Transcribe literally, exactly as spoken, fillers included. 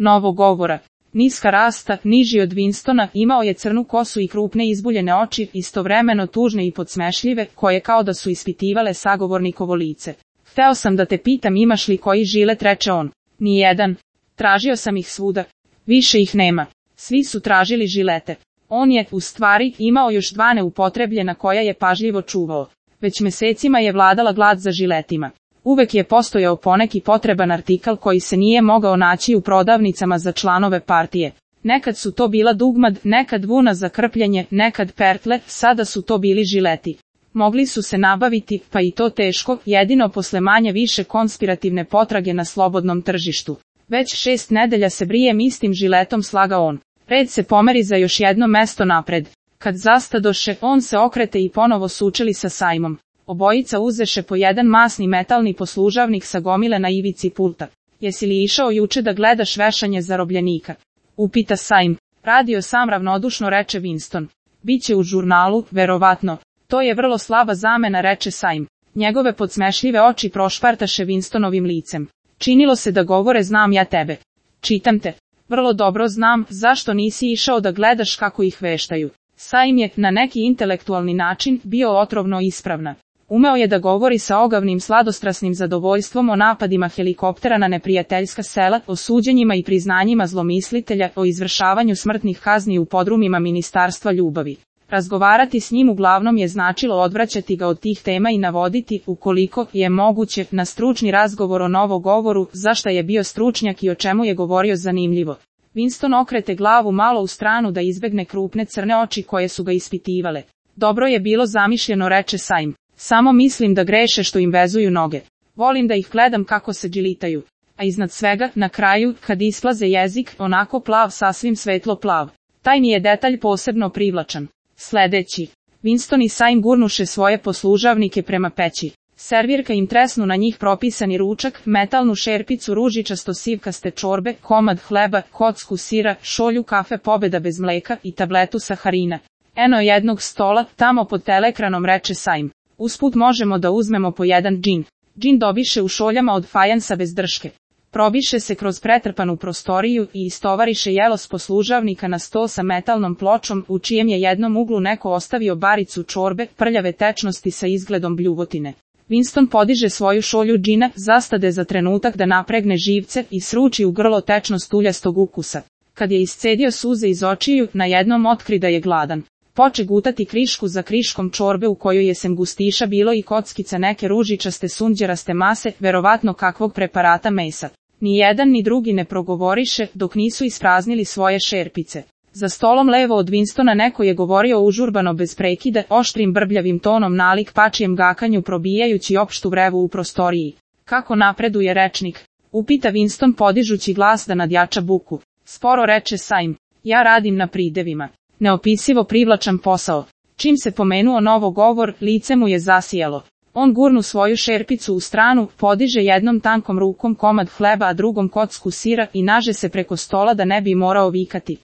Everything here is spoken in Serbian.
novog govora. Niska rasta, niži od Winstona, imao je crnu kosu i krupne izbuljene oči, istovremeno tužne i podsmešljive, koje kao da su ispitivale sagovornikovo lice. Hteo sam da te pitam imaš li koji žilet, reče on. Nijedan. Tražio sam ih svuda. Više ih nema. Svi su tražili žilete. On je, u stvari, imao još dva neupotrebljena koja je pažljivo čuvao. Već mesecima je vladala glad za žiletima. Uvek je postojao poneki potreban artikal koji se nije mogao naći u prodavnicama za članove partije. Nekad su to bila dugmad, nekad vuna za krpljenje, nekad pertle, sada su to bili žileti. Mogli su se nabaviti, pa i to teško, jedino posle manje više konspirativne potrage na slobodnom tržištu. Već šest nedelja se brijem istim žiletom, slaga on. Red se pomeri za još jedno mesto napred. Kad zastadoše, on se okrete i ponovo sučeli sa Sajmom. Obojica uzeše po jedan masni metalni poslužavnik sa gomile na ivici pulta. Jesi li išao juče da gledaš vešanje zarobljenika? Upita Sajm. Radio sam, ravnodušno reče Winston. Biće u žurnalu, verovatno. To je vrlo slaba zamena, reče Sajm. Njegove podsmešljive oči prošpartaše Winstonovim licem. Činilo se da govore znam ja tebe. Čitam te. Vrlo dobro znam, zašto nisi išao da gledaš kako ih veštaju. Sajm je, na neki intelektualni način, bio otrovno ispravna. Umeo je da govori sa ogavnim sladostrasnim zadovoljstvom o napadima helikoptera na neprijateljska sela, o suđenjima i priznanjima zlomislitelja, o izvršavanju smrtnih kazni u podrumima Ministarstva ljubavi. Razgovarati s njim uglavnom je značilo odvraćati ga od tih tema i navoditi, ukoliko je moguće, na stručni razgovor o novogovoru, zašta je bio stručnjak i o čemu je govorio zanimljivo. Winston okrete glavu malo u stranu da izbegne krupne crne oči koje su ga ispitivale. Dobro je bilo zamišljeno, reče Sajm. Samo mislim da greše što im vezuju noge. Volim da ih gledam kako se džilitaju. A iznad svega, na kraju, kad isplaze jezik, onako plav, sasvim svetlo plav. Taj mi je detalj posebno privlačan. Sledeći. Winston i Sajm gurnuše svoje poslužavnike prema peći. Servirka im tresnu na njih propisani ručak, metalnu šerpicu ružičasto sivkaste čorbe, komad hleba, kocku sira, šolju kafe Pobeda bez mleka i tabletu saharina. Eno jednog stola, tamo pod teleekranom, reče Sajm. Usput možemo da uzmemo po jedan džin. Džin dobiše u šoljama od fajansa bez drške. Probiše se kroz pretrpanu prostoriju i istovariše jelo s poslužavnika na sto sa metalnom pločom, u čijem je jednom uglu neko ostavio baricu čorbe, prljave tečnosti sa izgledom bljuvotine. Winston podiže svoju šolju džina, zastade za trenutak da napregne živce i sruči u grlo tečnost uljastog ukusa. Kad je iscedio suze iz očiju, na jednom otkri da je gladan. Poče gutati krišku za kriškom čorbe u kojoj je sem gustiša bilo i kockica neke ružičaste sunđeraste mase, verovatno kakvog preparata mesa. Ni jedan ni drugi ne progovoriše, dok nisu ispraznili svoje šerpice. Za stolom levo od Winstona neko je govorio užurbano bez prekida, oštrim brbljavim tonom nalik pačijem gakanju probijajući opštu vrevu u prostoriji. Kako napreduje rečnik? Upita Winston podižući glas da nadjača buku. Sporo, reče Sajm. Ja radim na pridevima. Neopisivo privlačan posao. Čim se pomenuo novogovor, lice mu je zasijalo. On gurnu svoju šerpicu u stranu, podiže jednom tankom rukom komad hleba a drugom kocku sira i naže se preko stola da ne bi morao vikati.